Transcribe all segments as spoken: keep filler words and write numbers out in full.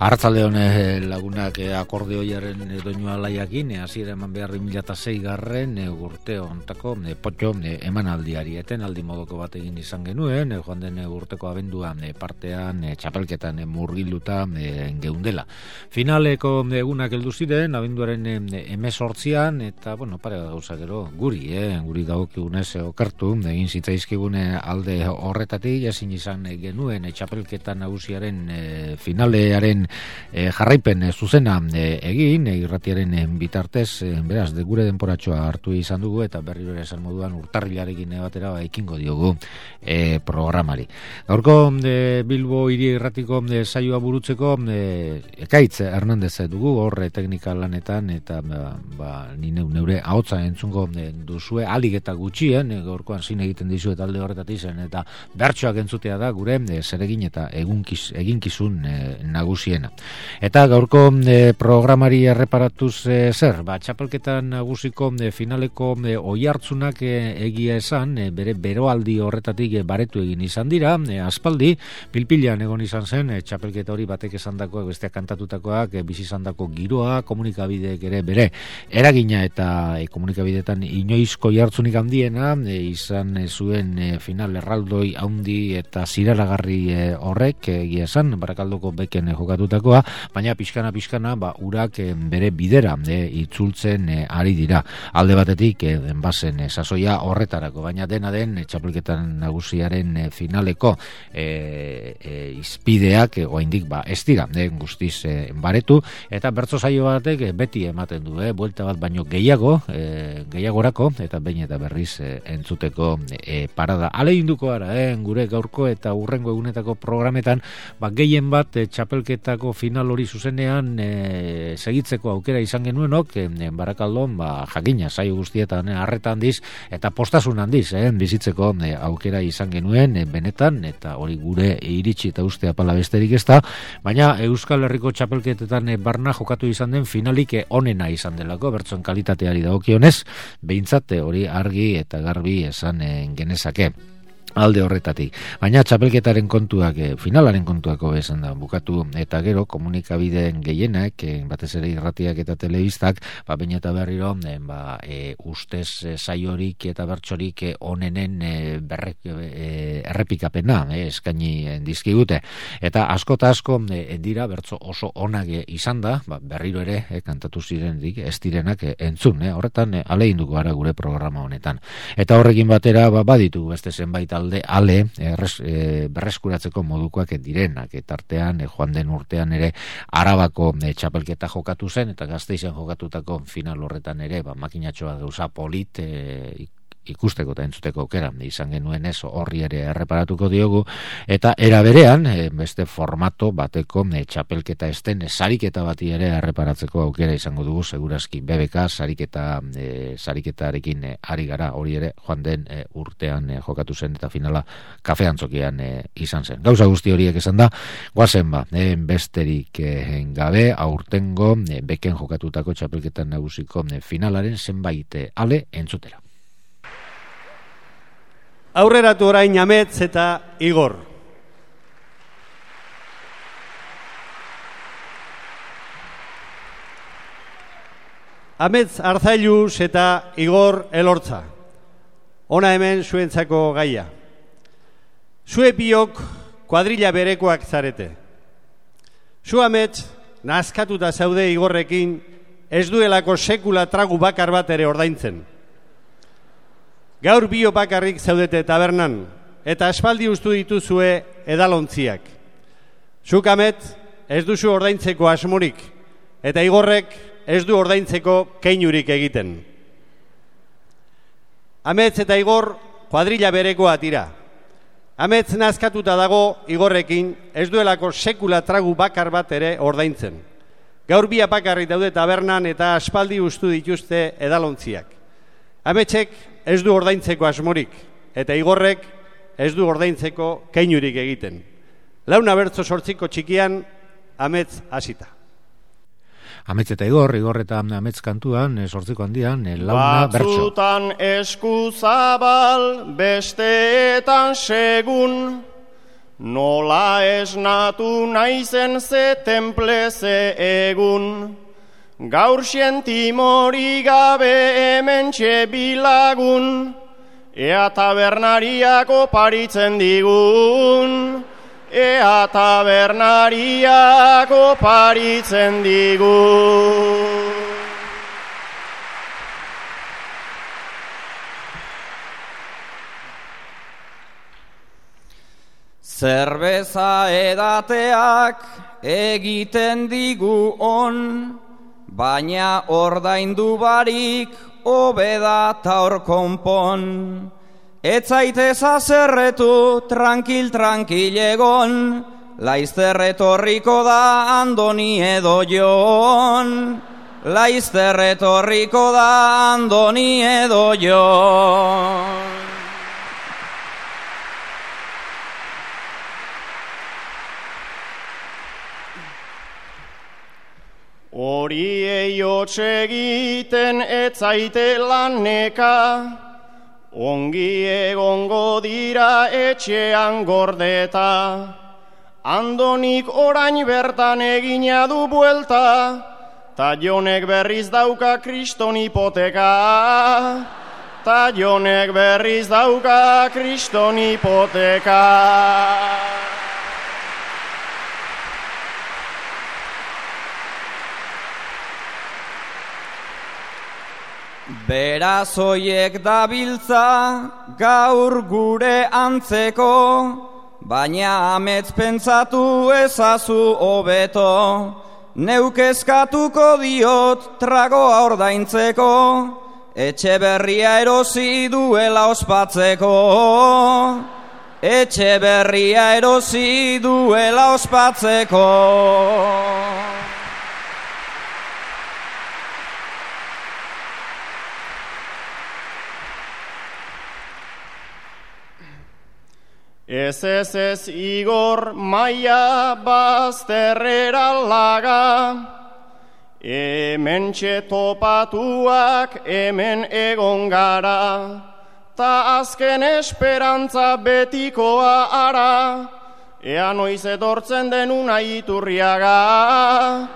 Arratzaldeon lagunak akordeoiaren doinua laiakin, hasiera eman behar bi mila sei garren urte ontako potxo emanaldiari eten aldi modoko bat egin izan genuen, joan den urteko abenduan partean txapelketan murgiluta geundela. Finaleko egunak heldu ziren, abenduaren hemezortzian, eta, bueno, pare gauza gero, guri, eh, guri dagokigunez okertu, egin zitzaizkigune alde horretatik, ezin izan genuen txapelketan nagusiaren finalearen E, jarraipen e, zuzena e, egin, e, irratiaren e, bitartez, e, beraz, de gure denporatxoa hartu izan dugu, eta berri bere esan moduan urtarrilarekin batera ekingo diogu e, programari. Gaurko e, Bilbo hiri irratiko e, saioa burutzeko e, Ekaitz Hernandez dugu, horre teknika lanetan, eta ba, ba, nine, neure ahotsa entzungo e, duzue, alik eta gutxien, e, gaurkoan zin egiten dizuet alde horretatik zen, eta bertsoak entzutea da gure e, zeregin eta egunkiz, eginkizun e, nagusi. Eta gaurko e, programari erreparatuz e, zer, ba, txapelketa nagusiko e, finaleko e, oihartzunak e, egia esan, e, bere beroaldi horretatik e, baretu egin izan dira, e, aspaldi, pilpilean egon izan zen, e, txapelketa hori batek esandakoak, besteak kantatutakoak, e, bizi izandako giroa, komunikabideek ere bere eragina eta e, komunikabideetan inoizko oihartzunik handiena, e, izan e, zuen e, final erraldoi handi eta ziraragarri e, horrek, e, egia esan, Barakaldoko beken e, jokatu takoa, baina pixkana pixkana ba, urak e, bere bidera e, itzultzen e, ari dira. Alde batetik e, denbazen e, sasoia horretarako, baina dena den e, txapelketan nagusiaren e, finaleko e, e, izpideak e, oraindik ba, ez dira e, guztiz e, baretu, eta bertso saio batek e, beti ematen du, e, buelta bat baino gehiago, e, gehiagorako, eta behin eta berriz e, entzuteko e, parada. Alegin ara, e, gure gaurko eta urrengo egunetako programetan, ba, gehien bat e, txapelketa final hori zuzenean e, segitzeko aukera izan genuenok, e, Barakaldon ba, jakina saio guztietan harreta handiz eta postasun handiz e, bizitzeko e, aukera izan genuen e, benetan, eta hori gure iritsi eta uste apala besterik ez da, baina Euskal Herriko txapelketetan e, barna jokatu izan den finalik e, onena izan delako, bertsoen kalitateari dagokionez, behintzat hori argi eta garbi esan e, genezake alde horretatik. Baina txapelketaren kontuak, e, finalaren kontuako esan da bukatu, eta gero komunikabideen gehienak, e, batez ere irratiak eta telebistak, ba, baina eta berriro, e, ba, e, ustez e, saiorik eta bertsorik e, onenen e, berrek, e, errepikapena e, eskaini e, dizkigute. Eta asko eta asko e, dira bertso oso onak e, izan da, ba, berriro ere e, kantatu zirenik ez direnak e, entzun, e, horretan e, aleinduko gara gure programa honetan. Eta horrekin batera, ba, baditu beste zenbait alde ale erres, e, berreskuratzeko modukoak direnak, eta artean e, joan den urtean ere Arabako e, txapelketa jokatu zen, eta Gasteizen jokatutako final horretan ere ba, makinatxoa gauza polit e, ikusteko eta entzuteko aukera izan genuen ez, horri ere erreparatuko diogu, eta era berean e, beste formato bateko e, txapelketa esten e, sariketa bati ere erreparatzeko aukera izango dugu, segurazki B B K sariketa e, sariketarekin e, ari gara, hori ere joan den e, urtean e, jokatu zen, eta finala kafe antzokian e, izan zen. Gauza guzti horiek esan da, guazen ba, e, besterik e, gabe, aurtengo e, beken jokatutako txapelketan nagusiko e, finalaren zenbait e, ale entzutera. Aurreratu orain Ametz eta Igor. Ametz Arzailuz eta Igor Elortza. Ona hemen zuentzako gaia. Zue biok kuadrilla berekoak zarete. Zu Ametz nazkatuta zaude Igorrekin, ez duelako sekula tragu bakar bat ere ordaintzen. Gaur bio bakarrik zaudete tabernan, eta aspaldi ustu dituzue edalontziak. Zuk Ametz ez duzu ordaintzeko asmorik, eta Igorrek ez du ordaintzeko keinurik egiten. Ametz eta Igor kuadrilla berekoa tira. Ametz nazkatuta dago Igorrekin, ez duelako sekula tragu bakar bat ere ordaintzen. Gaur bia bakarrik daude tabernan, eta aspaldi ustu dituzte edalontziak. Ametzek ez du ordaintzeko asmorik, eta Igorrek ez du ordaintzeko keinurik egiten. Launa bertso sortziko txikian, Ametz hasita. Ametz eta Igor, Igor eta Ametz kantuan, sortziko handian, launa bertso. Batzutan esku zabal, besteetan segun, Nola esnatu naizen ze temple ze egun, gaur sentimori gabe hementxe bilagun, ea tabernariak oparitzen digun, ea tabernariak oparitzen digun. Zerbeza edateak egiten digu on, baina ordaindu barik hobeda ta hor konpon. Ez zaitez azerretu, tranquil, tranquil egon, laizter etorriko da Andoni edo Jon. Laizter etorriko da Andoni edo Jon. Horiei hots egiten ez zaite laneka, ongi egongo dira etxean gordeta. Andonik orain bertan egina du buelta, ta Jonek berriz dauka kriston hipoteka. Ta Jonek berriz dauka kriston hipoteka. Beraz hoiek dabiltza gaur gure antzeko, baina amets pentsatu ezazu hobeto. Neuk eskatuko diot tragoa ordaintzeko, etxe berria erosi duela ospatzeko. Etxe berria erosi duela ospatzeko. Ez ez ez Igor maia bazterrera laga, hemen topatuak hemen egon gara, ta azken esperantza betikoa ara, ea noiz etortzen den Unai Iturriaga,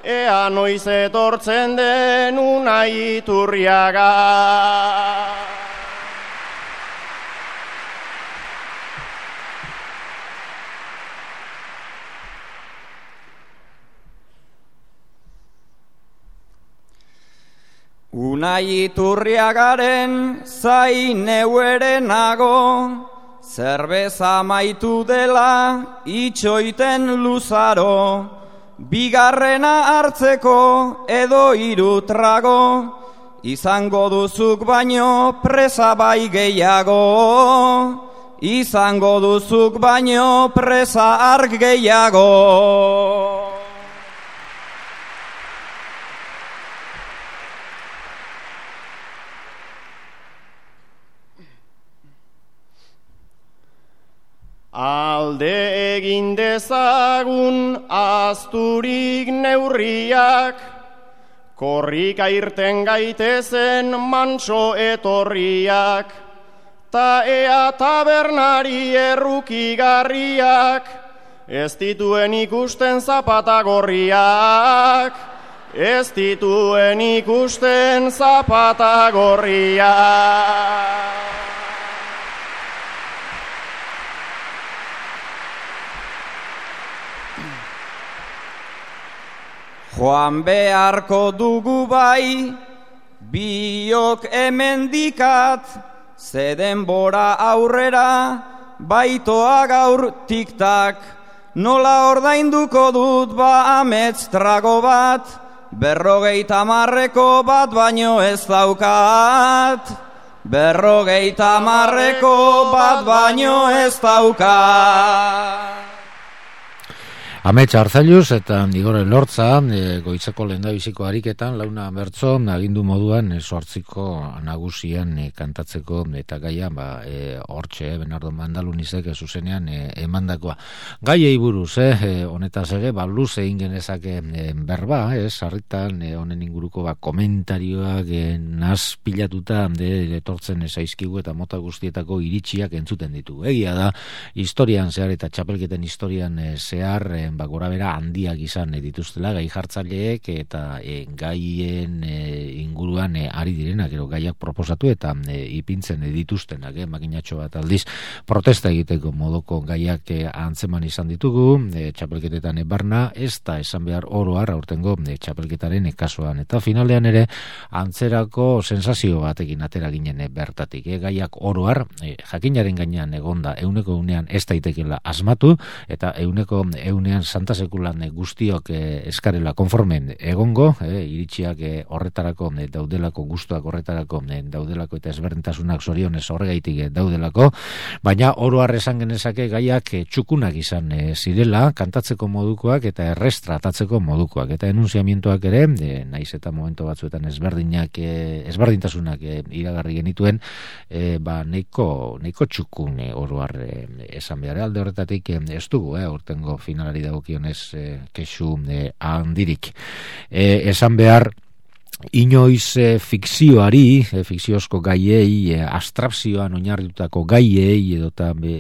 ea noiz etortzen den Unai Iturriaga. Unai Iturriagaren zain neuere nago, zerbeza maitu dela itxoiten luzaro, bigarrena hartzeko edo hiru trago, izango duzuk baino presa bai gehiago, izango duzuk baino presa arg gehiago. Alde egin dezagun azturik neurriak, korrika irten gaitezen mantso etorriak, ta ea tabernari errukigarriak, ez dituen ikusten zapata gorriak, ez dituen ikusten zapata gorriak. Joan beharko dugu bai, biok hemendikat, ze denbora aurrera, baitoa gaur tiktak. Nola ordainduko dut ba amets trago bat, berrogeita marreko bat baino ez daukat. Berrogeita marreko bat baino ez daukat. Amets Arzailuz eta Igor Elortza e, goitzeko lehendabiziko ariketan launa bertso agindu moduan sortziko nagusian e, kantatzeko eta gaia ba hortxe e, Bernardo Mandalunizek e, zuzenean e, emandakoa. Gaiei buruz, eh, honetaz ere, ba, luz egin genezake e, berba, ez, sarritan e, honen inguruko ba, komentarioak e, naz pilatuta de, etortzen zaizkigu eta mota guztietako iritsiak entzuten ditu. Egia da, historian zehar eta txapelketen historian e, zehar e, ba, gora bera handiak izan e, dituztela gai jartzaileek eta e, gaien e, inguruan e, ari direnak, ero gaiak proposatu eta e, ipintzen e, dituztenak, e, makinatxo bat aldiz protesta egiteko modoko gaiak e, antzeman izan ditugu, e, txapelketetan e, barna, ez da esan behar oroar aurtengo e, txapelketaren e, kasuan, eta finalean ere antzerako sensazio batekin atera ginen e, bertatik, e, gaiak oroar e, jakinaren gainean egonda euneko unean ez daitekela asmatu, eta euneko eunean santa sekulan guztiok eh, eskarela konformen egongo, eh, iritsiak eh, horretarako eh, daudelako, gustuak horretarako eh, daudelako eta ezberdintasunak zorionez horregaitik eh, daudelako, baina oro har esan genezake gaiak eh, txukunak izan eh, zirela, kantatzeko modukoak eta errez tratatzeko modukoak, eta enunziamientoak ere, eh, naiz eta momento batzuetan ezberdinak eh, ezberdintasunak eh, iragarri genituen, eh, ba neiko, neiko txukun eh, oro har eh, esan behar alde horretatik eh, ez dugu, eh, urtengo finalari dagokionez eh, kexu eh, handirik. Eh, esan behar inoiz e, fikzioari, e, fikziozko gaiei, e, abstrakzioan oinarritutako gaiei, edota be,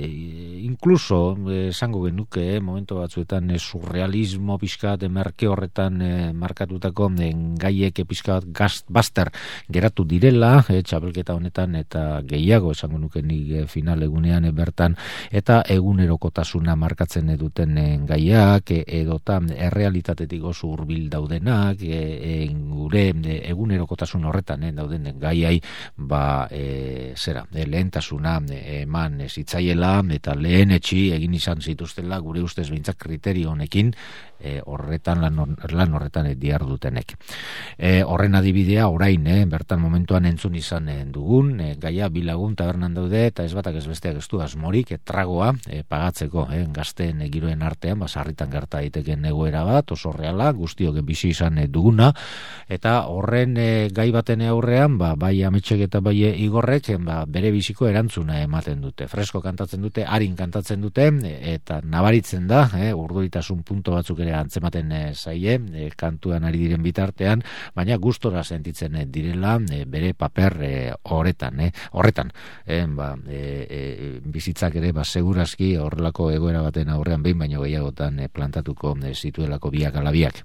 inkluso esango genuke, e, momento batzuetan e, surrealismo pixkat, e, merke horretan e, markatutako e, gaiek e, pixkat gast, baster geratu direla, e, txapelketa honetan, eta gehiago esango nuke nik e, final egunean e, bertan, eta egunerokotasuna markatzen duten e, gaiak, e, edota errealitatetik oso hurbil daudenak, e, e, gure egunerokotasun horretan eh, dauden gaiai ba e, zera e, lehentasuna e, eman zitzaiela eta lehen etxi egin izan zituztela gure ustez behintzat kriterio honekin e, horretan lan, lan horretan e, diardutenek. E, horren adibidea orain eh, bertan momentuan entzun izan e, dugun e, gaia bilagun tabernan daude eta ez batak ez besteak ez du asmorik e, tragoa e, pagatzeko eh, gazteen e, giroen artean ba, sarritan gerta daiteken egoera bat oso reala guztiok bizi izan e, duguna eta horren e, gai baten aurrean, ba, bai Ametsek eta bai Igorrek ba, bere biziko erantzuna ematen dute. Fresko kantatzen dute, arin kantatzen dute, e, eta nabaritzen da, e, urduritasun punto batzuk ere antzematen e, zaie, e, kantuan ari diren bitartean, baina gustora sentitzen e, direla e, bere paper e, horretan, e, horretan. E, ba, e, e, bizitzak ere, ba, segurazki horrelako egoera baten aurrean behin baino gehiagotan e, plantatuko e, zituelako biak alabiak.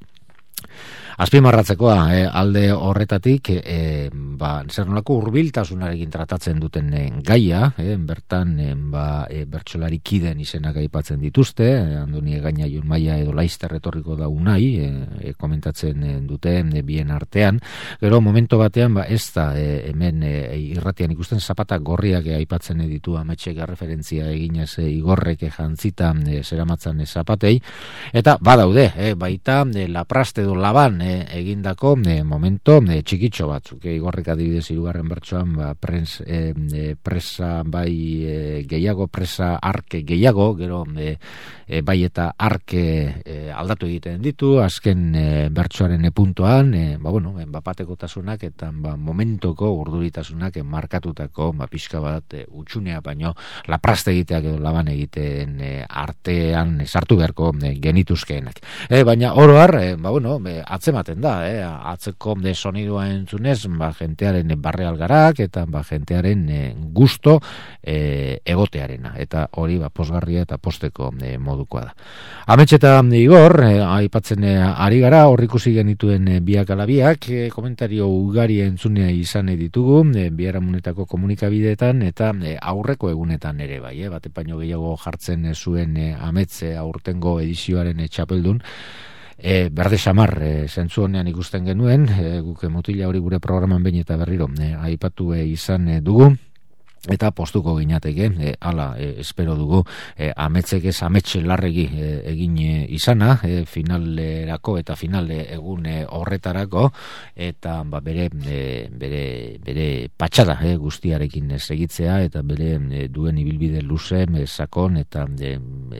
Azpimarratzekoa e, alde horretatik e, ba, zer nolako hurbiltasunarekin tratatzen duten e, gaia, e, bertan e, ba, e, bertsolari kiden izenak aipatzen dituzte, e, Andoni Egaña, Jon Maia edo Laister etorriko da unai, e, e, komentatzen e, dute e, bien artean, gero momento batean ba, ez da e, hemen e, irratian ikusten zapata gorriak e, aipatzen e, ditu Ametsek referentzia eginez e, Igorrek e, jantzita e, zeramatzan e, zapatei, eta badaude, e, baita e, lapraste edo laban e, egindako e, momento e, txikitxo batzuk, e, Igorrek adibidez hirugarren bertsoan ba, prens, e, e, presa bai e, gehiago, presa arke gehiago, gero e, e, bai eta arke e, aldatu egiten ditu, azken e, bertsoaren e, puntuan, e, ba, bueno, e, bapatekotasunak eta ba, momentoko urduritasunak e, markatutako ba, pixka bat e, utxunea baino lapraste egiteak edo laban egiten e, artean e, sartu beharko e, genituzkeenak. E, baina oro har, e, ba, bueno, e, atzematen da, eh? Atzeko de sonidua entzunez, ba, jentearen barre algarak eta ba, jentearen e, gusto e, egotearena, eta hori ba, posgarria eta posteko e, modukoa da. Amets eta Igor, e, aipatzen e, ari gara, hor ikusi genituen e, biak alabiak, e, komentario ugari entzunea izan ditugu, e, biharamunetako komunikabideetan, eta e, aurreko egunetan ere bai, e, bate paino gehiago jartzen e, zuen e, Amets e, aurtengo edizioaren e, txapeldun, E, berde xamar, e, zentzu honean ikusten genuen, e, guk mutila hori gure programan behin eta berriro e, aipatu e, izan e, dugu, eta postuko ginateke, e, ala e, espero dugu, e, ametzek ez ametxe larregi e, egin e, izana, e, finalerako eta finale egune horretarako, eta ba, bere, e, bere, bere patxada e, guztiarekin segitzea, eta bere e, duen ibilbide luze, e, sakon, eta e,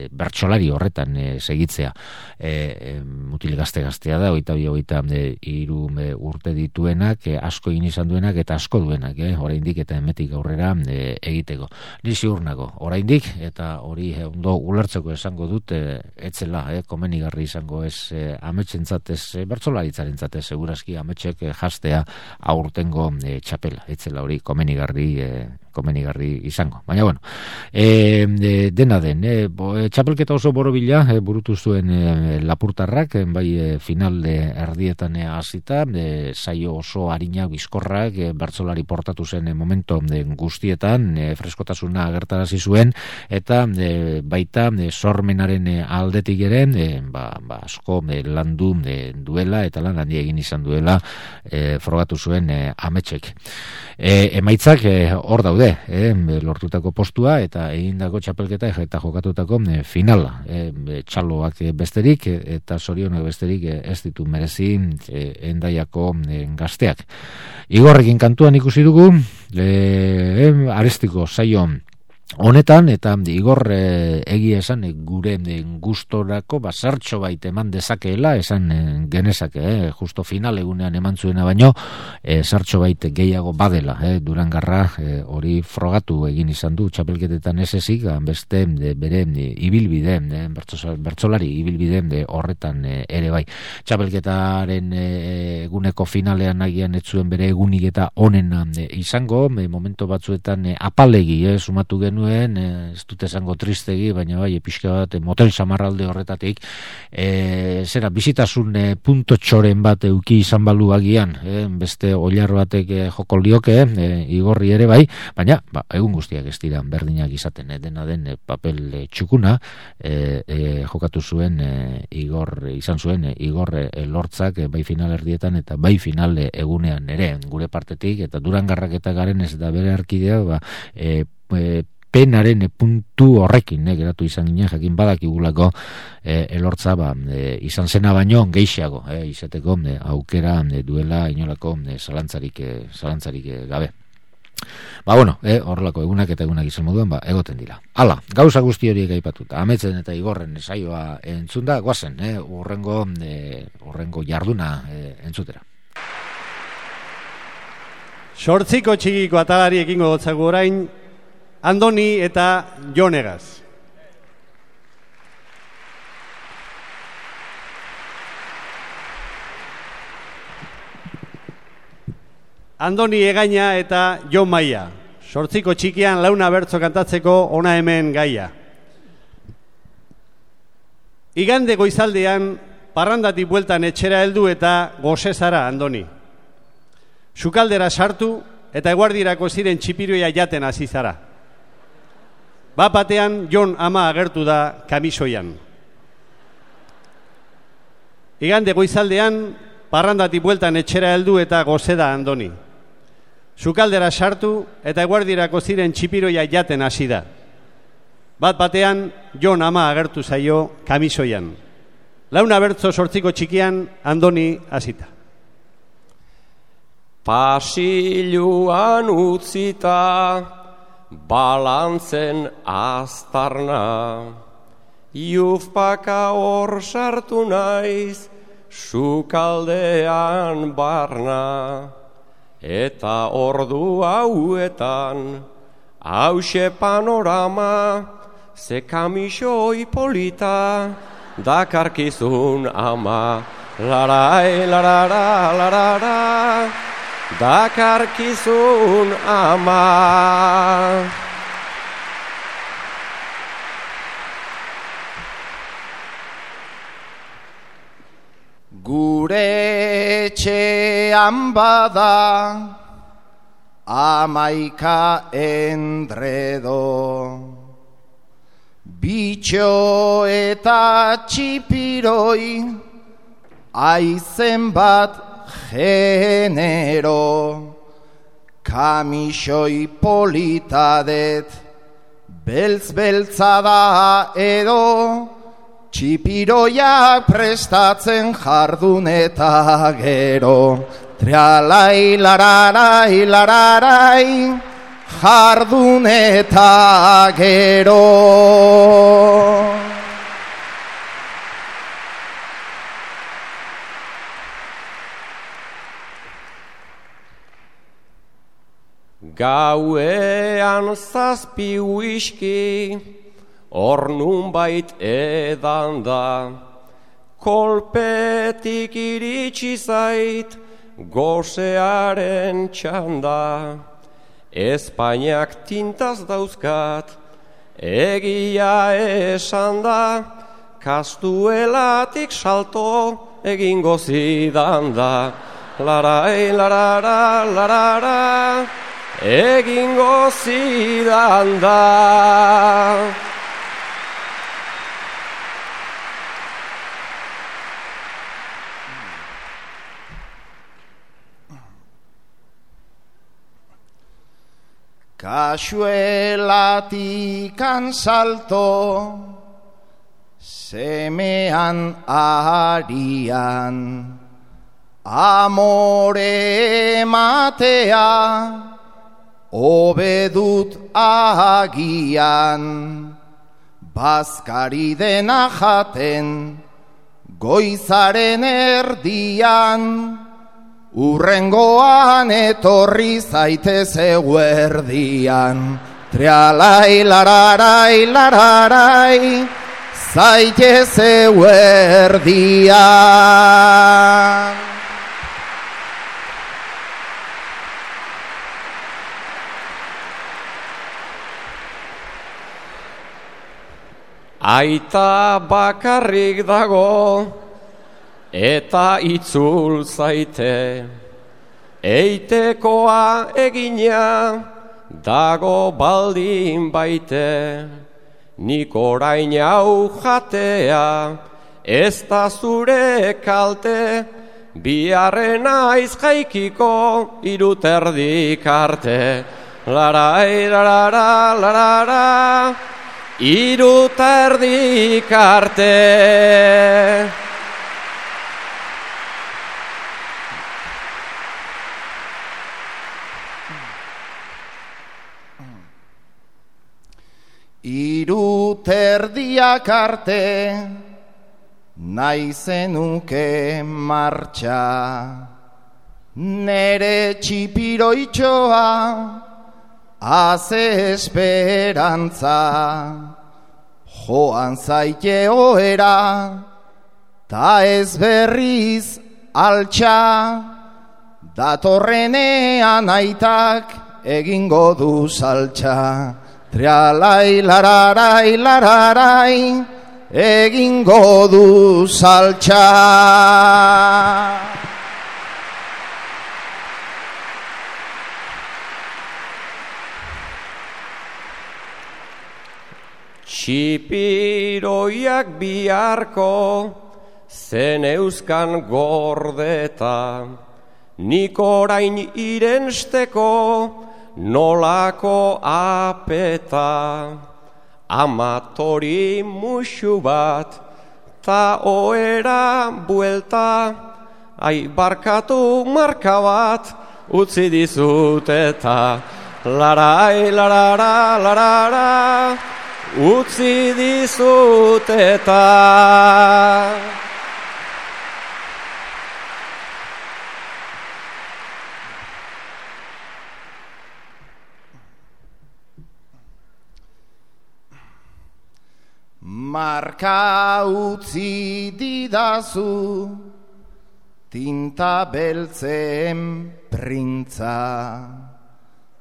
bertsolari horretan e, segitzea. E, e, mutil gazte-gaztea da, oita bi, oita e, iru e, urte dituenak, e, asko egin izan duenak, eta asko duenak, e, oraindik eta emetik aurrera, e, egiteko. Ni ziur nago, oraindik, eta hori eh, ondo ulertzeko esango dut, eh, etzela, eh, komenigarri izango ez eh, ametsentzat ez, eh, bertsolaritzaren segurazki ametxek eh, jastea aurtengo eh, txapela, etzela hori komenigarri eh, komenigarri izango. Baina, bueno, e, e, dena den, e, bo, e, txapelketa oso borobila e, burutu zuen e, lapurtarrak, e, bai e, final de erdietan hasita, e, saio oso harina bizkorrak, e, bertsolari portatu zen e, momento e, guztietan, e, freskotasuna agertarazi zuen, eta e, baita e, sormenaren e, aldetik ere, e, ba, ba, asko e, landu e, duela, eta lan handi egin izan duela e, frogatu zuen e, ametxek. E, emaitzak hor e, daude, E, lortutako postua eta egindako txapelketa eta jokatutako e, finala. E, txaloak besterik e, eta zorionak besterik e, ez ditu merezi e, Hendaiako e, gazteak. Igorrekin kantuan ikusi dugu, e, e, Arestiko saio honetan, eta Igor e, egia esan e, gure e, gustorako bazartxo bait eman dezakeela, esan e, genezake, e, justo final egunean eman zuena baino, e, zartxo bait gehiago badela, e, Durangarra e, hori frogatu egin izan du txapelketetan ez ezik, beste e, bere e, ibilbide, e, bertsolari ibilbide e, horretan e, ere bai. Txapelketaren e, eguneko finalean agian ez zuen bere egunik eta onena e, izango, e, momento batzuetan e, apalegi, e, sumatu genuen, ez dut esango tristegi, baina bai, pixka bat, motel samarralde horretatik, e, zera, bizitasun e, punto txoren bat euki izan balu agian, e, beste oilar batek e, joko lioke, e, Igorri ere bai, baina, ba, egun guztiak ez dira berdinak izaten, e, dena den e, papel e, txukuna, e, e, jokatu zuen e, Igor, izan zuen e, Igor e, lortzak, e, bai final erdietan eta bai final e, egunean ere, gure partetik, eta Durangarrak eta garen ez da bere arkidea, ba, e, e, penaren puntu horrekin eh, geratu izan ginen, jakin badakigulako eh, elortza ba, eh, izan zena baino gehiago eh, izateko eh, aukera eh, duela inolako eh, zalantzarik, eh, zalantzarik eh, gabe. Ba, bueno, eh, horrelako egunak eta egunak izan moduan, ba, egoten dira. Hala, gauza guzti horiek aipatuta, ametzen eta Igorren saioa entzunda, guazen, eh, urrengo, eh, urrengo jarduna eh, entzutera. Sortziko txikiko atalari ekingo gotzago orain, Andoni eta Jonegaz. Andoni Egaina eta Jon Maia. Sortziko txikian launa bertzo kantatzeko ona hemen gaia. Igande goizaldean parrandatik bueltan etxera heldu eta gozezara, Andoni. Sukaldera sartu eta eguardirako ziren txipiroia jaten hasi zara. Bat batean Jon ama agertu da kamisoian. Igande goizaldean parrandatik bueltan etxera heldu eta gozeda, Andoni. Sukaldera sartu eta eguardirako ziren txipiroia jaten hasi da. Bat batean Jon ama agertu zaio kamisoian. Launa bertzo sortziko txikian Andoni hasita. Pasiluan utzita balantzen aztarna, jufpaka hor sartu naiz sukaldean barna, eta ordu hauetan hause panorama, ze kamisoi polita dakarkizun ama, larai, larara, larara, dakarkizun ama. Gure etxean bada amaika endredo, bitxo eta txipiroi, aizen bat genero, Kamisoi politadet, beltz-beltza da edo, txipiroiak prestatzen jardun eta gero. Trialai, lararai, lararai, jardun eta gero. Gauean zazpi whisky, hor nunbait edan da, kolpetik iritsi zait, gosearen txanda. Espainiak tintaz dauzkat, egia esan da, kastuelatik salto egingo zidan da. Larai, larara, larara, egingo zidan da. Kasuelatikan salto, semean arian, amore ematea, obedut agian, bazkari dena jaten, goizaren erdian, urrengoan etorri zaitez eguerdian. Trialai, lararai, lararai, zaitez eguerdian. Aita bakarrik dago, eta itzul zaite, eitekoa egina, dago baldin baite, nik orain hau jatea, ez da zure kalte, biharren aiz jaikiko iruterdik arte. Larai, larara, larara, iruterdik arte. Iruterdiak arte, nahi zenuke martxa, nere txipiroitxoa, haze esperantza, joan zaite ohera, ta ez berriz altxa, datorrenean aitak egingo du saltxa. Trialai, lararai, lararai, egingo du saltxa. Txipiroiak biharko zen euskan gordeta, nik orain irensteko nolako apeta, amatori musu bat, ta oera buelta, ai barkatu marka bat, utzi dizut eta, larai, larara, larara, utzi dizut eta. Marka utzi didazu, tinta beltzen printza,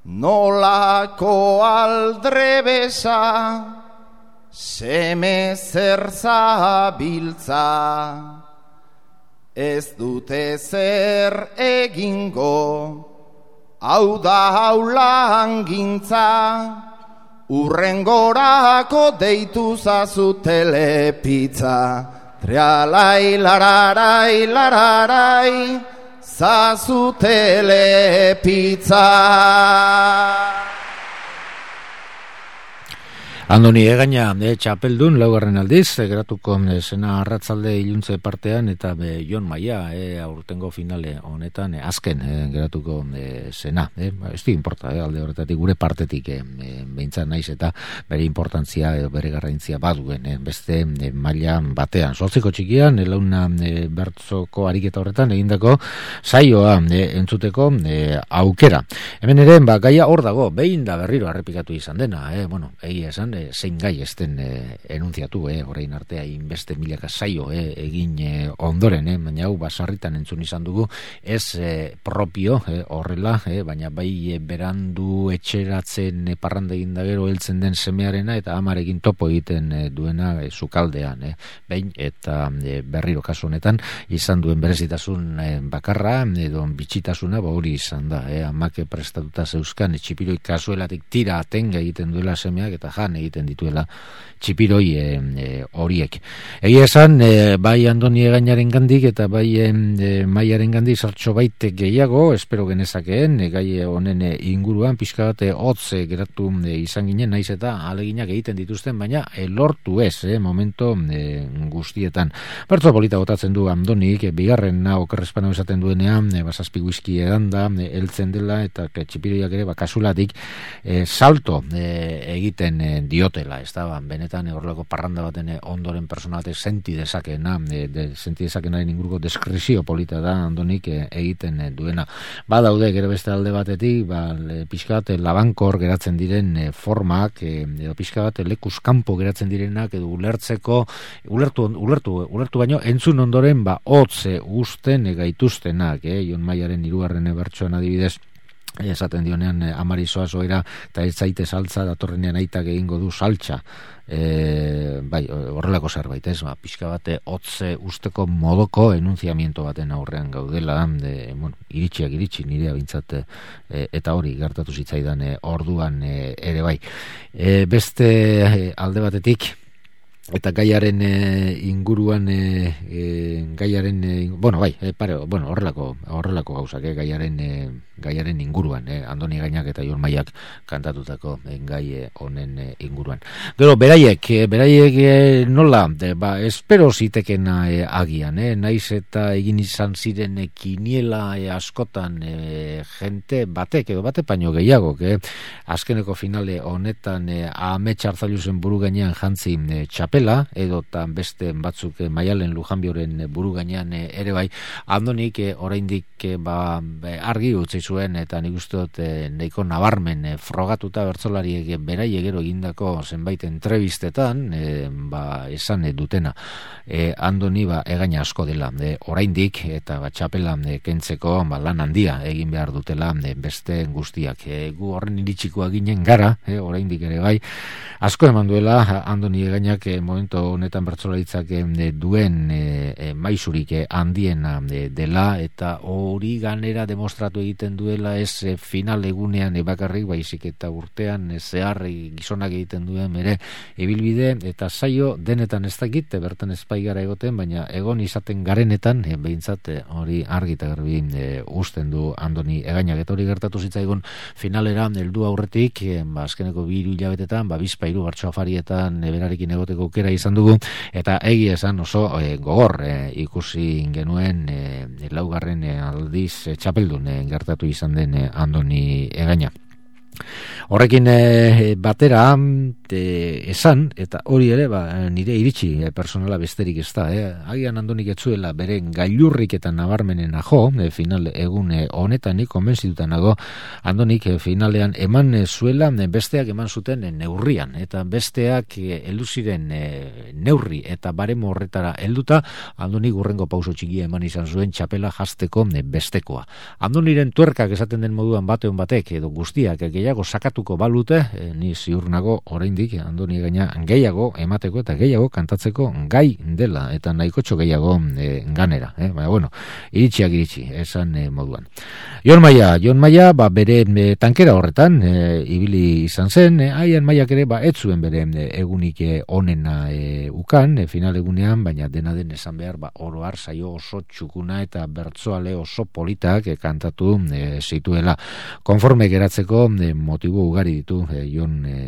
nolako aldrebesa, seme zer zabiltza, ez dute zer egingo, hau da haulan gintza, urrengorako deitu zazu telepizza. Trialai, lararai, lararai, zazu telepizza. Andoni Egaña, e, txapeldun, laugarren aldiz, e, geratuko e, zena arratzalde iluntze partean, eta be, Jon Maia, e, aurtengo finale honetan, e, azken e, geratuko e, zena. E, ez di importa, e, alde horretatik, gure partetik, e, e, behintzat naiz eta bere importantzia, e, bere garrantzia baduen, e, beste e, maila batean. Zortziko txikian, e, launa e, bertzoko ariketa horretan, egindako saioa e, entzuteko e, aukera. Hemen ere, ba, gaia hor dago, behin da berriro arrepikatu izan dena, e, bueno, egia esan, e, zein gai esten e, enunziatu, e, orain artea inbeste milaka saio e, egin e, ondoren, e, baina hau basarritan entzun izan dugu, ez e, propio e, horrela, e, baina bai e, berandu etxeratzen e, parranda egin da gero heltzen den semearena eta amarekin topo egiten e, duena e, sukaldean, e, behin eta e, berriro kasu honetan izan duen berezitasun e, bakarra edo bitxitasuna ba hori izan da, e, amake prestatuta zeuzkan e, txipiroi kasuelatik tira atenga egiten duela semeak eta jan egiten dituela txipiroi horiek. E, e, Egia esan, e, bai Andoni Egañaren gandik eta bai e, Maiaren gandik sartxo baite gehiago, espero genezakeen, e, gai honen e, inguruan, pixka bat hotz e, geratu e, izan ginen, naiz eta aleginak egiten dituzten, baina e, lortu ez, e, momento e, guztietan. Bertzo polita botatzen du Andonik, e, bigarren na okerrezpano esaten duenean, e, basazpi whisky edan da, e, eltzen dela, eta txipiroiak ere, bakasulatik, e, salto e, egiten e, diotela, ez da, benetan horrelako parranda baten ondoren persona batek senti dezakena, e, de, senti dezakenaren inguruko deskrizio polita da Andonik e, egiten e, duena. Ba daude, gero beste alde batetik, ba, pixka bat labankor geratzen diren e, formak, e, edo pixka bat lekuz kanpo geratzen direnak, edo ulertzeko, ulertu, ulertu, ulertu baino, entzun ondoren, ba, hotze usten e, gaituztenak, e, Jon Maiaren hirugarren bertsoan adibidez, esaten dionean e, amari zoa zoera eta ez zaite saltza datorrenean aitak egingo du saltza, e, bai, horrelako zerbait ez, ba, pixka bate hotze usteko modoko enunziamiento baten aurrean gaudela, de, bueno, iritsiak iritsi nirea bintzat e, eta hori gertatu zitzaidan e, orduan e, ere bai. E, beste e, alde batetik eta gaiaren e, inguruan e, e, gaiaren e, bueno bai e, pare, bueno horrelako horrelako gauzak e, gaiaren e, gaiaren inguruan e, Andoni Egañak eta Jon Maiak kantatutako e, gai honen e, inguruan. Gero beraiek e, beraiek e, nola de, ba espero zitekena e, agian e, naiz eta egin izan ziren e, kiniela e, askotan e, gente batek edo bate paino gehiago e, azkeneko finale honetan e, Amets Arzailuzen buru gainean jantzi e, txapela, edo tan beste batzuk e, Maialen Lujanbioren e, buru gainean e, ere bai, Andonik e, oraindik e, ba, argi utzi zuen eta nik uste dut e, nahiko nabarmen e, frogatuta bertsolariek e, beraiek gero egindako zenbait entrevistetan e, ba, esan e, dutena e, Andoni ba, Egaña asko dela e, oraindik eta ba, txapela e, kentzeko ba, lan handia egin behar dutela e, beste guztiak e, gu horren iritsikoa ginen gara e, oraindik ere bai asko eman duela Andoni Egañak e, momentu honetan bertsolaritzak e, duen e, e, maisurik e, handiena e, dela eta hori ganera demostratu egiten duela ez e, final egunean e, bakarrik baizik eta urtean e, zehar e, gizonak egiten duen ere ibilbide eta saio denetan ez dakit bertan espaigara egoten baina egon izaten garenetan e, behintzat e, hori argi eta garbi e, usten du Andoni Egañak eta hori gertatu zitzaigun finalera heldu aurretik e, ba, azkeneko bi hiru hilabetetan ba, bizpa hiru bertso afarietan e, berarekin egoteko aukera izan dugu eta egia esan oso e, gogor e, ikusi genuen e, laugarren e, aldiz e, txapeldun e, gertatu izan den e, Andoni Egaña. Horrekin e, batera e, esan, eta hori ere ba, nire iritsi e, personala besterik ez da, eh? Agian Andonik etzuela bere gailurrik eta nabarmenen ajo, e, final egun e, honetan nik konbentzituta nago Andonik e, finalean eman e, zuela e, besteak eman zuten e, neurrian, eta besteak e, heldu ziren e, neurri eta baremo horretara helduta Andonik urrengo pauso txikia eman izan zuen txapela jasteko e, bestekoa. Andoniren tuerkak esaten den moduan bateon batek edo guztiak e, gehiago sakatuko balute, e, ni ziur nago oraindik aldetik, Andoni Egaina gehiago emateko eta gehiago kantatzeko gai dela, eta nahikotxo gehiago e, ganera, eh? Baina, bueno, iritsiak iritsi, esan e, moduan. Jon Maia, Jon Maia, ba, bere e, tankera horretan, e, ibili izan zen, e, haian Maiak ere, ba, ez zuen bere e, egunik e, onena e, ukan, e, final egunean, baina dena den esan behar, ba, oroar saio oso txukuna eta bertsoale oso politak e, kantatu e, zituela. Konforme geratzeko e, motibo ugari ditu e, Jon e,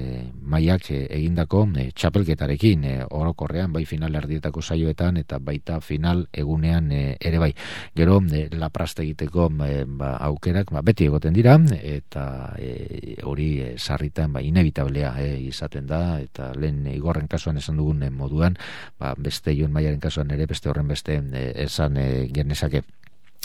Maiak e, egindako e, txapelketarekin e, orokorrean, bai final erdietako saioetan eta baita final egunean e, ere bai. Gero e, lapraste egiteko e, ba, aukerak ba, beti egoten dira eta e, hori e, sarritan ba, inevitablea e, izaten da, eta lehen Igorren kasuan esan dugun e, moduan, ba, beste Jon Maiaren kasuan ere beste horren beste e, esan e, genezake.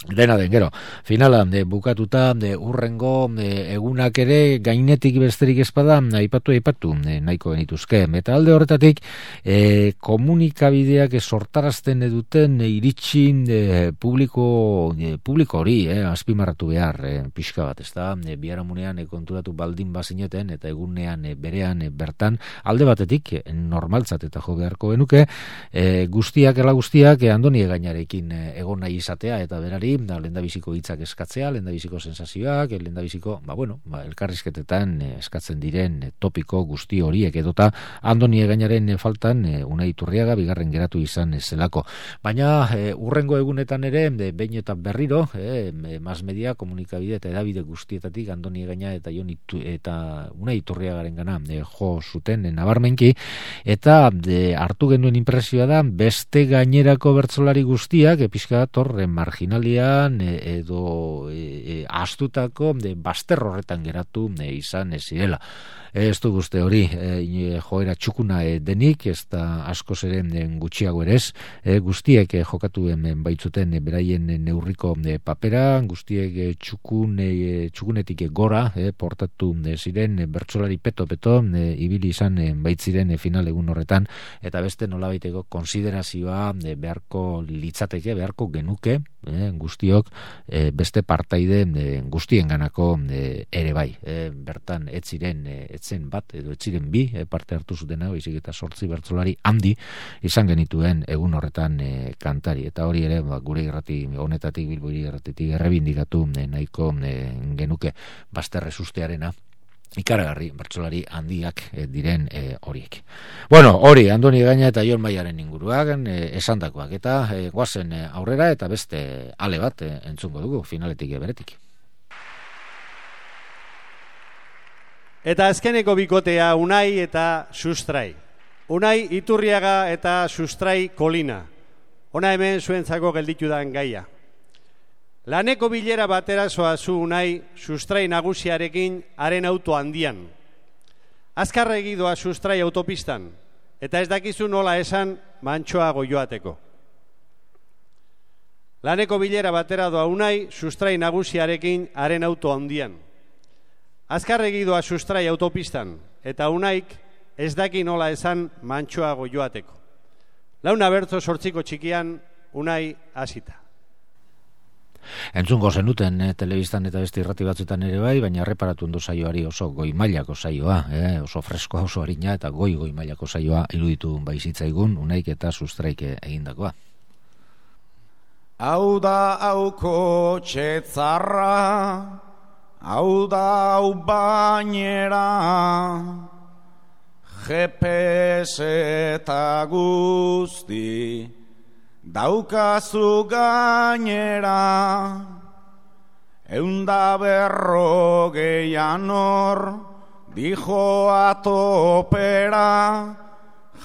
Dena den, gero, finala de, bukatuta de, urrengo de, egunak ere gainetik besterik espada aipatu aipatu de, nahiko genituzke. Eta alde horretatik e, komunikabideak sortarazten eduten e, iritsin de, publiko, de, publiko hori eh, azpimarratu behar e, pixka bat, ez da, e, biharamunean e, konturatu baldin bazineten eta egunean e, berean e, bertan alde batetik e, normaltzat eta jo beharko genuke e, guztiak, ela guztiak e, Andoni Egainarekin e, egon nahi izatea eta berari da lehendabiziko hitzak eskatzea, lehendabiziko sensazioak, lehendabiziko, ba bueno, ba, elkarrizketetan eh, eskatzen diren eh, topiko guzti horiek edota Andoni Egainaren eh, faltan eh, Unai Iturriaga bigarren geratu izan eh, zelako. Baina eh, urrengo egunetan ere de, behin eta berriro eh, mas media, komunikabide eta edabide guztietatik Andoni Egaina eta Jon Itu, eta Unai Iturriagaren gana eh, jo zuten eh, nabarmenki, eta de, hartu genuen impresioa da beste gainerako bertsolari guztiak epizka torre marginalia edo e, e, astutako de baster horretan geratu e, izan ez zirela. Ez du guzti hori e, joera txukuna e, denik, ez da asko zeren gutxiago ere ez, e, guztiek e, jokatu hemen baitzuten e, beraien neurriko e, papera, guztiek e, txukun, e, txukunetik e, gora e, portatu e, ziren e, bertsolari peto-peto e, ibili izan e, baitziren e, final egun horretan, eta beste nolabaiteko konsiderazioa e, beharko litzateke, beharko genuke e, guztiok e, beste partaide e, guztien ganako e, ere bai, e, bertan ez ziren e, etzen bat edo etziren bi e, parte hartu zutena, baizik eta sortzi bertsolari handi izan genituen egun horretan e, kantari, eta hori ere ba, gure irrati honetatik, Bilbo irratitik errebindikatu e, nahiko e, genuke bazterre sustearena ikaragarri bertsolari handiak e, diren e, horiek. Bueno, hori Andoni Egaina eta Jon Maiaren inguruak e, esandakoak, eta e, guazen e, aurrera eta beste ale bat e, entzungo dugu finaletik beretik. Eta azkeneko bikotea Unai eta Sustrai. Unai Iturriaga eta Sustrai Kolina. Ona hemen zuentzako gelditu dan gaia. Laneko bilera batera zoazu Unai Sustrai nagusiarekin haren auto handian. Azkarra egidoa Sustrai autopistan, eta ez dakizu nola esan mantxoago joateko. Laneko bilera batera doa Unai Sustrai nagusiarekin haren auto handian. Azkarregi doa Sustrai autopistan, eta Unaik ez daki nola esan mantxoago joateko. Launa bertzo sortziko txikian Unai hasita. Entzungo zenuten eh, telebistan eta beste irrati batzuetan ere bai, baina erreparatu ondo saioari oso goi mailako saioa, eh, oso freskoa, oso harina eta goi goi mailako saioa iruditu baizitzaigun Unaik eta Sustraik egindakoa. Hau da hauko txetzarra, hau da hau bainera, G P S eta guzti, daukazu gainera, eunda berrogeian hor, dijo atopera,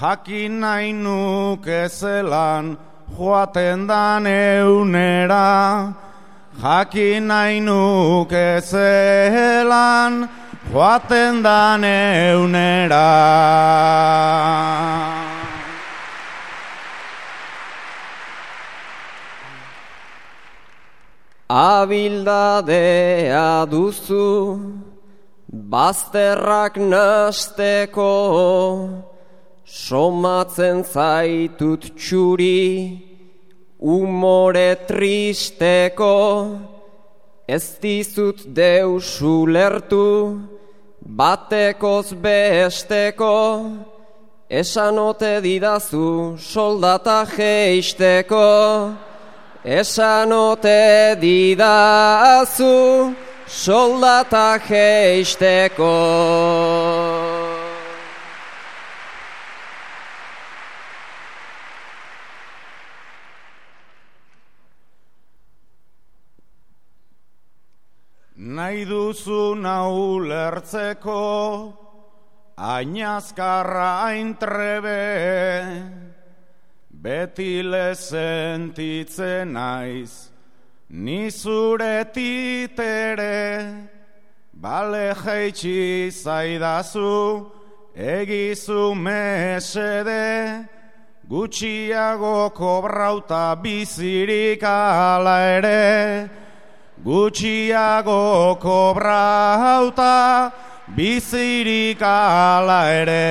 jakin nahi nuke zelan, joaten dan eunera, jakin nahi nuke zelan, joaten dan eunera. Abildadea duzu, bazterrak nasteko, somatzen zaitut txuri, umore tristeko, ez dizut deus ulertu, batekoz besteko, esan ote didazu soldata jeisteko, esan ote didazu soldata jeisteko. Nahi duzu nau lertzeko, ainazkarra aintrebe, beti lezentitzen naiz, ni zure titere, bale jaitsi zaidazu, egizu mesede, gutxiago kobrauta bizirik ala ere, gutxiago kobrauta bizirik ala ere.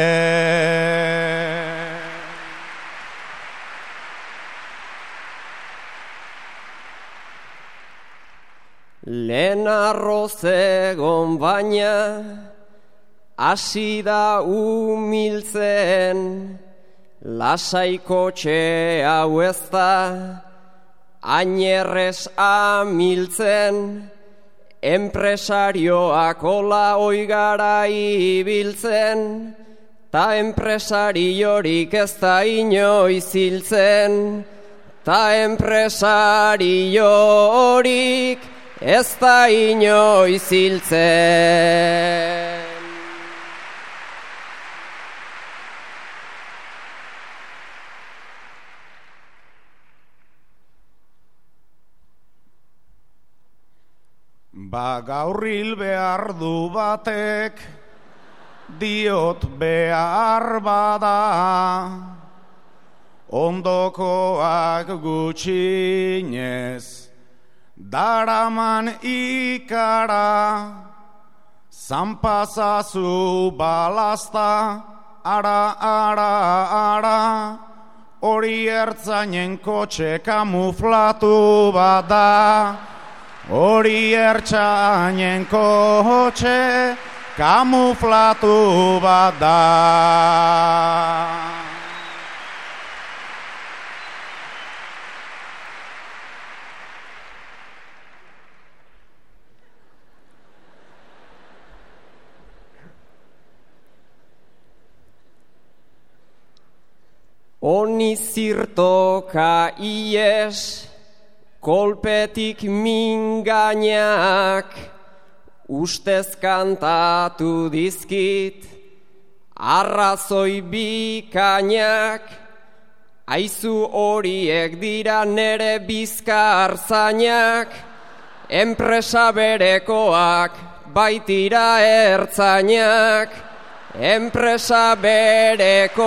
Lehen arroz egon baina, hasi da umiltzen, lasaiko txe hau ez da, ainerrez amiltzen, enpresarioak ola oigara ibiltzen, ta enpresariorik ez da inoiz hiltzen, ta enpresariorik ez da inoiz hiltzen. Ba gaur hil behar du batek, diot behar bada, ondokoak gutxinez, daraman ikara, zanpazazu balazta, ara, ara, ara, hori ertzainen kotxe kamuflatu bada, hori ertzainen kotxe kamuflatu bada. Honi zirtoka ies, kolpetik mingainak, ustez kantatu dizkit, arrazoi bikainak, aizu horiek dira nere bizkar zainak, enpresa berekoak baitira ertzainak, enpresa berekoak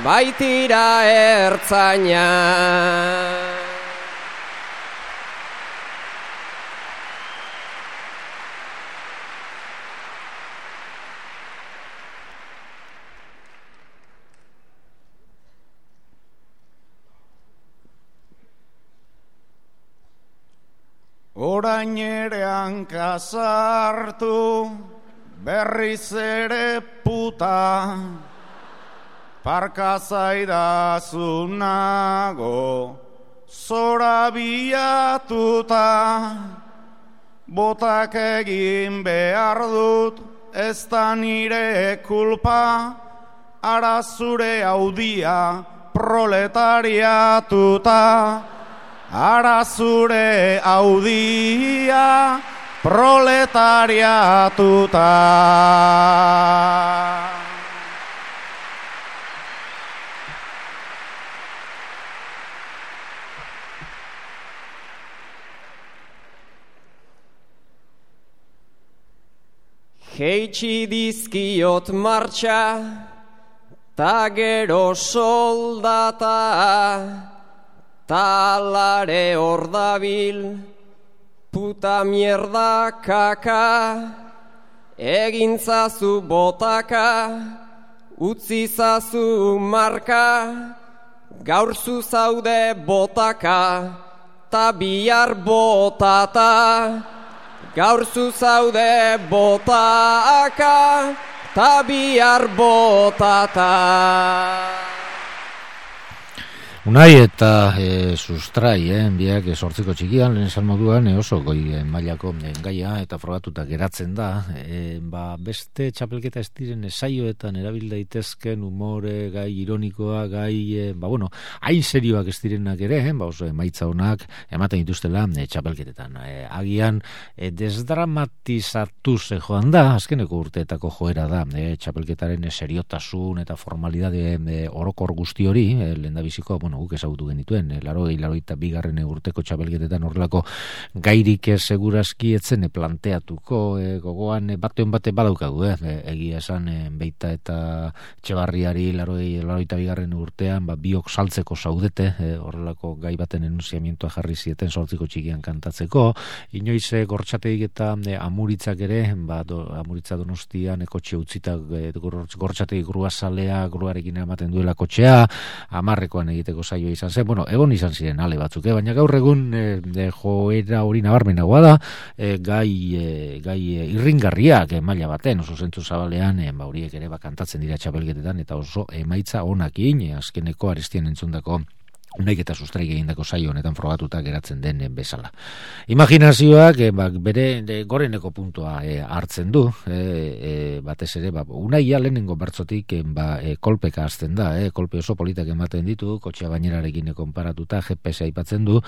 baitira ertzainak. Orain ere hankasartu, berriz ere puta, parka zaidazu nago, zora biatuta, botak egin behar dut, ez da nire kulpa, ara zure audia proletariatuta, ara zure audia proletariatuta. Jeitsi dizkiot martxa, ta gero soldata, talare hor dabil, puta mierda kaka, egintzazu botaka, utzizazu marka, gaur zu zaude botaka, ta bihar botata, gaur zu zaude botaka, ta bihar botata. Unai eta e, sustrai, eh, biak sortziko txikian, lehen esan moduan, e, oso goi e, mailako e, gaia eta frogatuta geratzen da. E, ba, beste txapelketa ez diren esaioetan erabil daitezken umore, gai ironikoa, gai, e, ba, bueno, hain serioak ez direnak ere, eh, ba, oso emaitza honak ematen dituztela e, txapelketetan. E, agian, e, desdramatizatuz e, joan da, azkeneko urteetako joera da, e, txapelketaren e, seriotasun eta formalidade e, orokor guzti hori, e, lehendabiziko, bueno, guk ezagutu genituen, e, laro gehi, laro eta bigarren urteko txapelketetan horrelako gairik e, segurazki etzen e, planteatuko, e, gogoan e, bateon bate badaukagu, e, e, egia esan e, Beita eta Txebarriari laro gehi, laro eta bigarren urtean, ba, biok saltzeko zaudete, e, horrelako gai baten enunziamentua jarri zieten sortziko txikian kantatzeko, inoiz e, gortxateik eta e, amuritzak ere, ba, do, amuritza Donostian, e, kotxe utzita, e, gortxateik gruazalea, gruarekin ematen duela kotxea, amarrekoan egiteko saioa izan zen, bueno, egon izan ziren ale batzuk, eh? Baina gaur egun e, de joera hori nabarmenagoa da, e, gai, e, gai e, irringarriak e, maila baten, oso zentzu zabalean, e, ba, horiek ere bakantatzen dira txapelketetan, eta oso emaitza onakin, e, azkeneko Arestian entzundako Unaik eta sustrai egindako saio honetan frogatuta geratzen den bezala. Imaginazioak e, ba, bere de, goreneko puntua e, hartzen du, e, e, batez ere, ba, unaia lehenengo bertzotik e, ba, e, kolpeka hasten da, e, kolpe oso politak ematen ditu, kotxea bainerarekin konparatuta, G P S aipatzen du,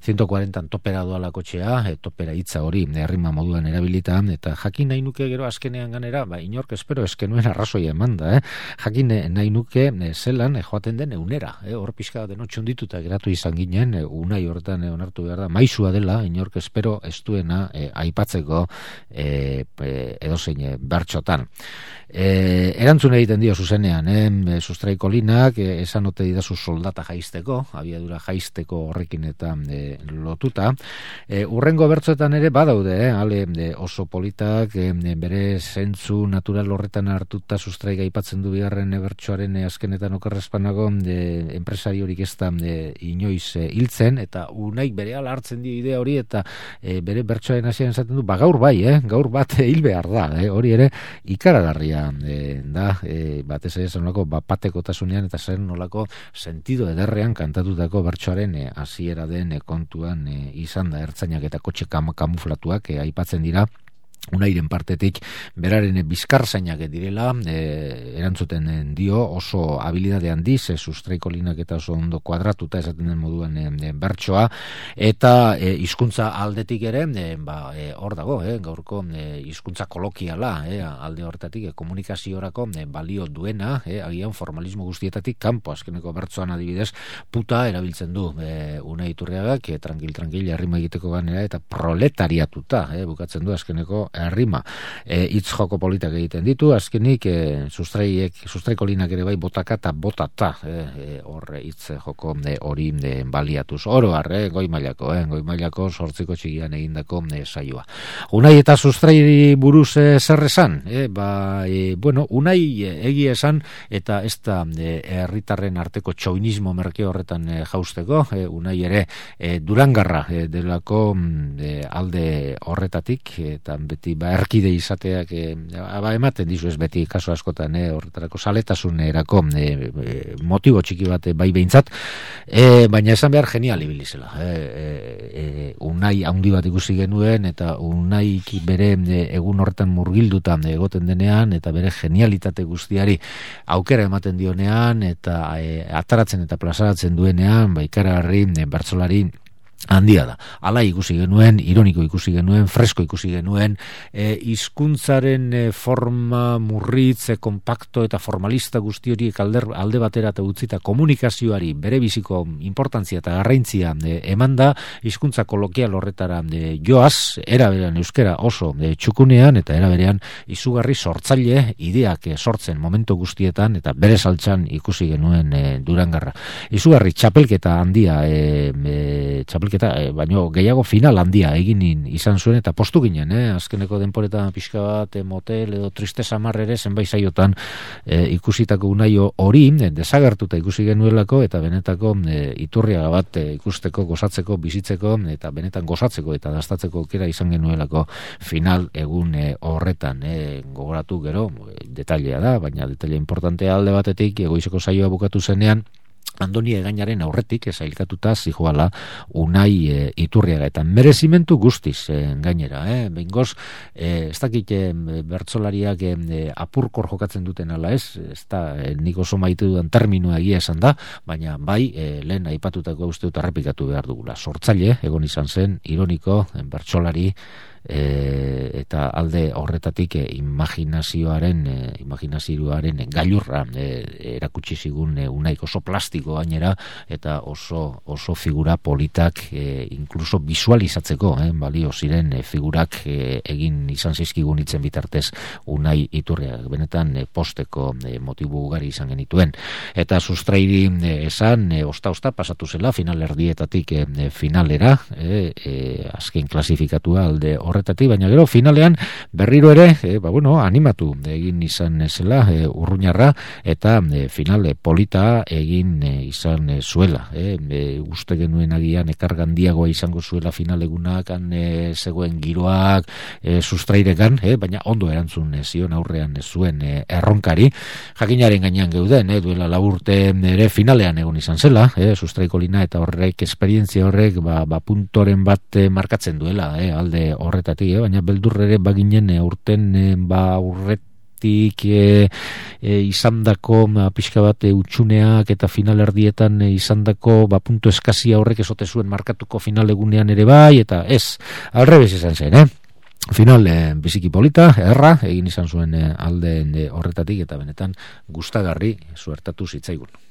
ciento cuarenta topera doala kotxea, e, topera hitza hori, errima moduan erabilita, eta jakin nahi nuke gero azkenean ganera, ba, inork espero eskenuen arrazoia emanda, eh? jakin nahi nuke e, zelan e, joaten den eunera, e, hor pixka denotxun dituta geratu izan ginen, e, unai horretan e, onartu behar da, maizua dela, inork espero ez duena e, aipatzeko e, e, edozein e, bertxotan. E, erantzun egiten dio zuzenean, eh? Sustraiko linak e, esan ote didazu soldata jaisteko, abiadura jaisteko horrekin eta e, lotuta. E, urrengo bertzoetan ere badaude, eh? Ale e, oso politak e, bere zentzu natural horretan hartuta sustraik aipatzen du bigarren e, bertsoaren e, azkenetan okerrezpanago e, enpresari horik ez da e, inoiz e, hiltzen, eta unaik bere ala hartzen dio idea hori, eta e, bere bertsoaren hasieran esaten du, ba gaur bai, eh? gaur bat hil behar da, eh? hori ere ikaragarria E, da, e, batez ere zenolako bapateko tasunean eta zer nolako sentido ederrean kantatutako bertsoaren e, hasiera den e, kontuan e, izan da, ertzainak eta kotxe kam, kamuflatuak e, aipatzen dira unairen partetik beraren bizkarzainak direla, e, erantzuten dio oso habilidade handiz, e, sustraiko linak eta oso ondo kuadratuta esaten den moduan e, bertsoa, eta e, hizkuntza aldetik ere, e, ba, e, hor dago, e, gaurko e, hizkuntza kolokiala, e, alde horretatik, e, komunikaziorako e, balio duena, e, agian formalismo guztietatik kanpo, azkeneko bertsoan adibidez, puta erabiltzen du, e, Unai Iturriagak, e, tranquil-tranquil, errima egiteko ganera, eta proletariatuta, e, bukatzen du azkeneko errima. E, itz joko politak egiten ditu, azkenik e, sustraiek, sustraiko linak ere bai botaka eta botata, e, horre itz joko hori e, baliatuz. Oro har, e, goi mailako, e, goi mailako sortziko txigian egindako e, saioa. Unai eta sustrai buruz e, zer esan? E, ba, e, bueno, Unai e, egia esan, eta ez da herritarren e, arteko txoinismo merke horretan e, jausteko, e, Unai ere e, durangarra e, delako e, alde horretatik, eta beti ba erkide izateak e, ba, ematen dizu ez beti kaso askotan e, horretarako saletasunerako e, e, motibo txiki bat e, bai behintzat, e, baina esan behar genial ibilizela. E, e, e, Unai handi bat ikusi genuen, eta Unai bere e, egun horretan murgilduta egoten denean, eta bere genialitate guztiari aukera ematen dionean, eta e, ataratzen eta plazaratzen duenean, ba ikaragarri e, bertsolari handia da. Hala ikusi genuen, ironiko ikusi genuen, fresko ikusi genuen, e, hizkuntzaren e, forma murritz, e, kompakto eta formalista guzti horiek alde, alde batera eta utzita komunikazioari bere biziko importantzia eta garrantzia e, eman da, hizkuntza kolokial horretara e, joaz, eraberean euskera oso e, txukunean, eta eraberean izugarri sortzaile ideak e, sortzen momentu guztietan, eta bere saltxan ikusi genuen e, durangarra. Izugarri txapelketa handia, e, e, txapelketa txapelketa, e, baino gehiago final handia egin izan zuen, eta postu ginen, eh? Azkeneko denporetan pixka bat, e, motel edo triste samar ere, zenbait saiotan e, ikusitako unaio hori, e, desagertuta ikusi genuelako, eta benetako e, iturriaga bat e, ikusteko, gozatzeko, bizitzeko, eta benetan gozatzeko eta dastatzeko aukera izan genuelako final egun e, horretan, e, gogoratu gero, e, detailea da, baina detailea importantea alde batetik, egoizeko saioa bukatu zenean, Andoni Egainaren aurretik esailkatuta zijoala Unai e, Iturriaga, eta merezimentu guztiz e, gainera, eh? Behingoz, e, ez dakit e, bertsolariak e, apurkor jokatzen duten ala ez, ez da, e, nik oso maite dudan terminoa egia esan da, baina bai, e, lehen aipatutako uste dut errepikatu behar dugula. Sortzaile, egon izan zen, ironiko, e, bertsolari, E, eta alde horretatik e, imaginazioaren e, imaginazioaren gailurra e, erakutsi zigun e, Unaik oso plastiko gainera, eta oso oso figura politak e, inkluso visualizatzeko eh, balio ziren e, figurak e, egin izan zizkigun hitzen bitartez Unai Iturriaga, benetan e, posteko e, motibu ugari izan genituen, eta sustrairi e, esan e, osta-osta pasatu zela finalerdietatik e, finalera e, e, azken klasifikatua alde horretatik, baina gero finalean berriro ere, e, ba, bueno, animatu egin izan zela e, urruñarra, eta e, finale polita egin e, izan e, zuela. E, e, uste genuen agian ekargandiagoa izango zuela finalegunak, han e, zegoen giroak e, sustrairekan, e, baina ondo erantzun e, zion aurrean e, zuen e, erronkari. Jakinaren gainean geuden, e, duela laburte ere finalean egon izan zela, e, sustraikolina, eta horrek, esperientzia horrek, ba, ba puntoren bat e, markatzen duela, e, alde horretatik, eh? Baina beldurre ere baginen e, urten e, ba urretik e, e, izandako ma, pixka bat e, utxuneak eta finalerdietan e, izandako ba puntu eskazia horrek esote zuen markatuko finalegunean ere bai, eta ez, alrebez izan zen, eh? Final e, biziki polita, erra, egin izan zuen e, alde e, horretatik, eta benetan gustagarri suertatu zitzaigun.